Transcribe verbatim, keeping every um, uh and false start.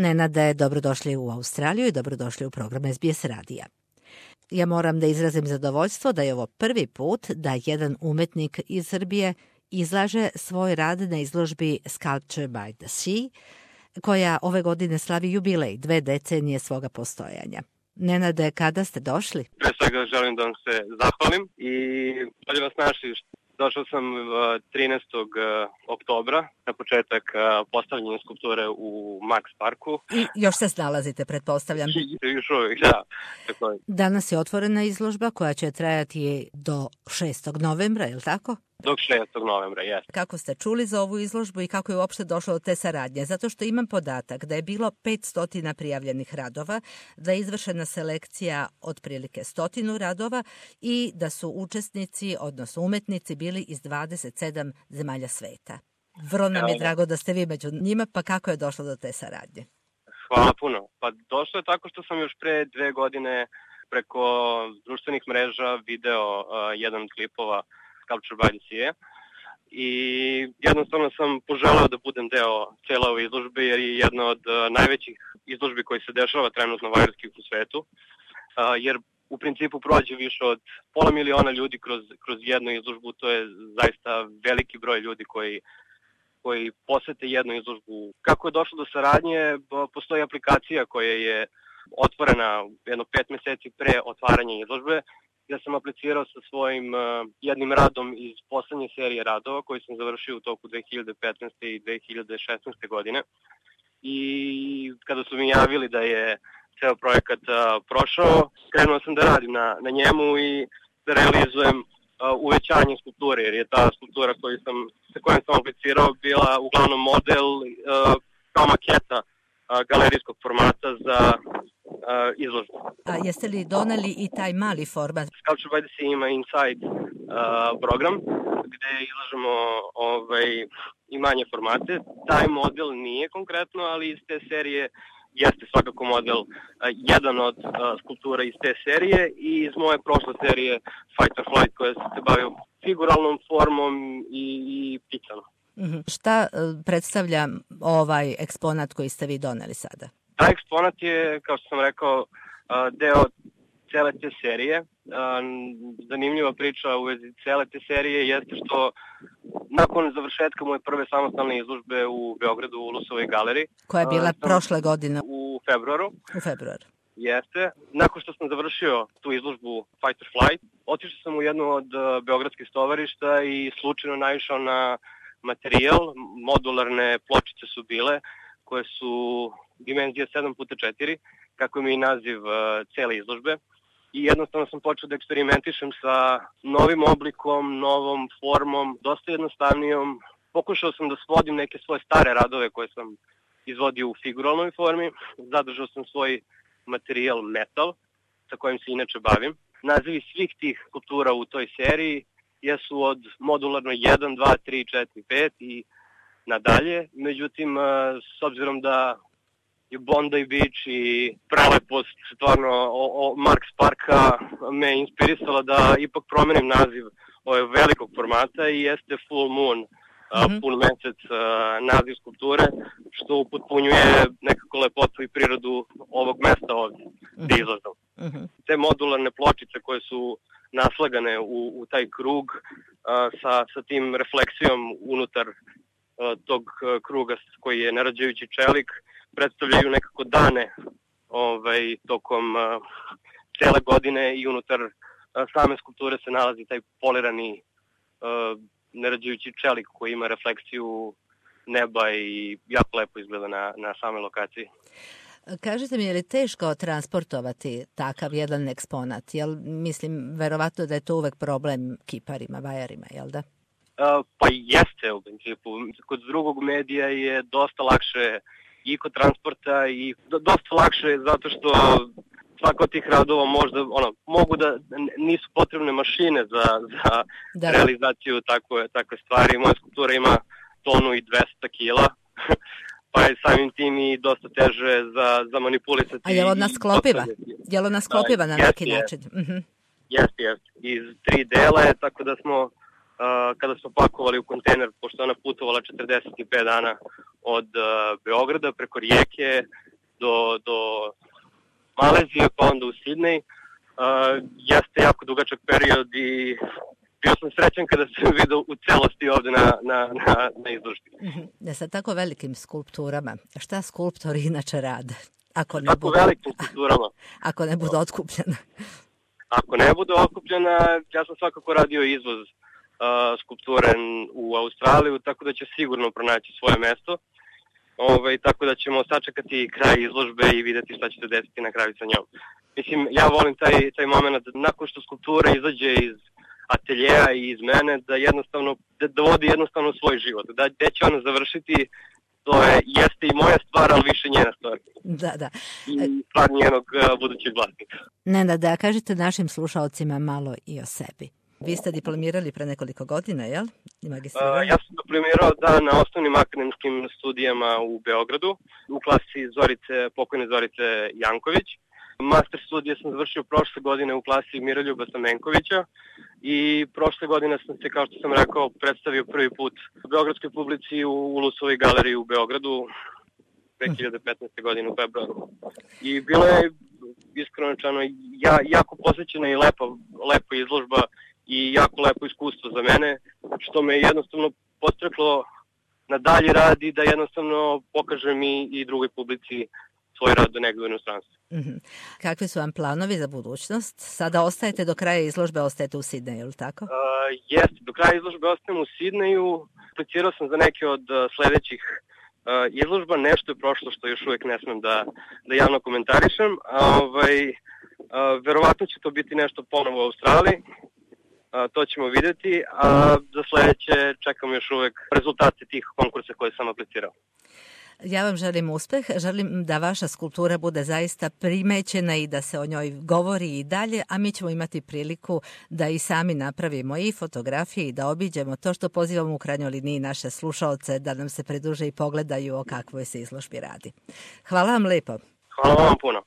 Nenade, dobrodošli u Australiju i dobrodošli u program S B S radija. Ja moram da izrazim zadovoljstvo da je ovo prvi put da jedan umetnik iz Srbije izlaže svoj rad na izložbi Sculpture by the Sea, koja ove godine slavi jubilej, dve decenije svoga postojanja. Nenade, kada ste došli? Pre svega želim da vam se zahvalim i bolje vas našli. Došao sam trinaestog oktobra na početak postavljanja skulpture u Max Parku. I još se snalazite, pretpostavljam. Još uvijek, da. Tako je. Danas je otvorena izložba koja će trajati do šestog novembra, je li tako? Do šestog novembra, jes. Kako ste čuli za ovu izložbu i kako je uopšte došlo do te saradnje? Zato što imam podatak da je bilo petsto prijavljenih radova, da je izvršena selekcija otprilike stotinu radova i da su učesnici, odnosno umetnici, bili iz dvadeset sedam zemalja sveta. Vrlo nam je drago da ste vi među njima, pa kako je došlo do te saradnje? Hvala puno. Pa došlo je tako što sam još pre dve godine preko društvenih mreža video uh, jedan od klipova Sculpture by the Sea i jednostavno sam poželeo da budem deo cijele ove izložbe jer je jedna od uh, najvećih izložbi koji se dešava trenutno vajarskih u svetu, uh, jer u principu prođe više od pola miliona ljudi kroz, kroz jednu izložbu. To je zaista veliki broj ljudi koji koji posete jednu izložbu. Kako je došlo do saradnje, postoji aplikacija koja je otvorena jedno pet meseci pre otvaranja izložbe, gdje sam aplicirao sa svojim uh, jednim radom iz poslednje serije radova koji sam završio u toku dve hiljade petnaeste. i dve hiljade šesnaeste. godine. I kada su mi javili da je ceo projekat uh, prošao, krenuo sam da radim na, na njemu i da realizujem Uh, uvećanje skulpture, jer je ta skulptura koju sam, sa kojom sam aplicirao bila uglavnom model uh, kao maketa uh, galerijskog formata za uh, izložbu. A jeste li doneli i taj mali format? Sculpture by the Sea ima Inside uh, program gde izlažemo ovaj, i manje formate. Taj model nije konkretno, ali iz te serije jeste svakako model uh, jedan od uh, skulptura iz te serije i iz moje prošle serije Fight or Flight koja se bavio figuralnom formom i, i pticama. Mm-hmm. Šta uh, predstavlja ovaj eksponat koji ste vi doneli sada? Taj eksponat je, kao što sam rekao, uh, deo cele te serije. Uh, zanimljiva priča u vezi cele te serije jeste što nakon završetka moje prve samostalne izložbe u Beogradu u Lusovoj galeriji, koja je bila uh, prošle godine u februaru. U februaru. Jeste. Nakon što sam završio tu izložbu Fight or Flight, otišao sam u jednu od uh, beogradskih stovarišta i slučajno naišao na materijal. Modularne pločice su bile koje su dimenzije sedam puta četiri, kako mi je naziv uh, cele izložbe. I jednostavno sam počeo da eksperimentišem sa novim oblikom, novom formom, dosta jednostavnijom. Pokušao sam da svodim neke svoje stare radove koje sam izvodio u figuralnoj formi. Zadržao sam svoj materijal metal, sa kojim se inače bavim. Nazivi svih tih skulptura u toj seriji jesu od modularno jedan, dva, tri, četiri, pet i nadalje. Međutim, s obzirom da i Bondi Beach i prelepost stvarno o, o Max Parka me inspirisala da ipak promenim naziv ove velikog formata i jeste Full Moon, mm-hmm. pun mesec naziv skulpture, što upotpunjuje nekako lepotu i prirodu ovog mesta ovdje, gdje mm-hmm. izlazam. Mm-hmm. Te modularne pločice koje su naslagane u, u taj krug a, sa, sa tim refleksijom unutar a, tog a, kruga koji je narađajući čelik, predstavljaju nekako dane ovaj, tokom uh, cele godine i unutar uh, same skulpture se nalazi taj polirani uh, nerađajući čelik koji ima refleksiju neba i jako lepo izgleda na, na same lokaciji. Kažete mi, je li teško transportovati takav jedan eksponat? Jel, mislim, verovatno da je to uvek problem kiparima, vajarima, jel da? Uh, pa jeste u principu. Kod drugog medija je dosta lakše i kod transporta i dosta lakše zato što svako od tih radova možda, ono, mogu da, nisu potrebne mašine za, za da. realizaciju takve, takve stvari. Moja skulptura ima tonu i dvesta kila, pa je samim tim i dosta teže za, za manipulisati. A je li ona sklopiva? Je li ona sklopiva na neki način? Jeste, jeste. Iz tri dela je, tako da smo kada smo pakovali u kontejner, pošto ona putovala četrdeset pet dana od Beograda preko rijeke do, do Malezije, pa onda u Sidnej. Jeste jako dugačak period i bio sam srećan kada sam vidio u celosti ovde na, na, na, na izložbi. Da, sa tako velikim skulpturama, šta skulptori inače rade? Ako ne tako budu, velikim skulpturama. Ako ne budu otkupljena. Ako ne budu otkupljena, ja sam svakako radio izvoz uh, skulpture u Australiju, tako da će sigurno pronaći svoje mesto. Ove, tako da ćemo sačekati kraj izložbe i videti šta će se desiti na kraju sa njom. Mislim, ja volim taj, taj moment da nakon što skulptura izađe iz ateljeja i iz mene, da jednostavno, da, da vodi jednostavno svoj život. Da, gde će ona završiti, to je, jeste i moja stvar, ali više njena stvar. Da, da. I stvar njenog uh, budućeg vlasnika. Nena, da kažete našim slušalcima malo i o sebi. Vi ste diplomirali pre nekoliko godina, jel? I magistrirali? Uh, ja sam diplomirao da na osnovnim akademskim studijama u Beogradu, u klasi Zorice, pokojne Zorice Janković. Master studije sam završio prošle godine u klasi Miroljuba Stamenkovića i prošle godine sam se, kao što sam rekao, predstavio prvi put u beogradskoj publici u Ulusovoj galeriji u Beogradu dve hiljade petnaeste. godine u februaru. I bilo je, iskreno rečeno, ja, jako posvećena i lepa, lepa izložba i jako lepo iskustvo za mene, što me jednostavno postreklo na dalji rad i da jednostavno pokažem i, i drugoj publici svoj rad do negdje u inostranstvu. Mm-hmm. Kakvi su vam planovi za budućnost? Sada ostajete do kraja izložbe, ostajete u Sidneju, ili tako? Uh, jeste, do kraja izložbe ostajem u Sidneju. Aplicirao sam za neke od uh, sledećih uh, izložba. Nešto je prošlo što još uvijek ne smem da, da javno komentarišem. Ovaj, uh, verovatno će to biti nešto ponovo u Australiji. Uh, to ćemo vidjeti, a za sledeće čekam još uvijek rezultate tih konkursa koje sam aplicirao. Ja vam želim uspeh, želim da vaša skulptura bude zaista primećena i da se o njoj govori i dalje, a mi ćemo imati priliku da i sami napravimo i fotografije i da obiđemo to što pozivamo u krajnjoj liniji naše slušaoce da nam se pridruže i pogledaju o kakvoj se izložbi radi. Hvala vam lepo. Hvala vam puno.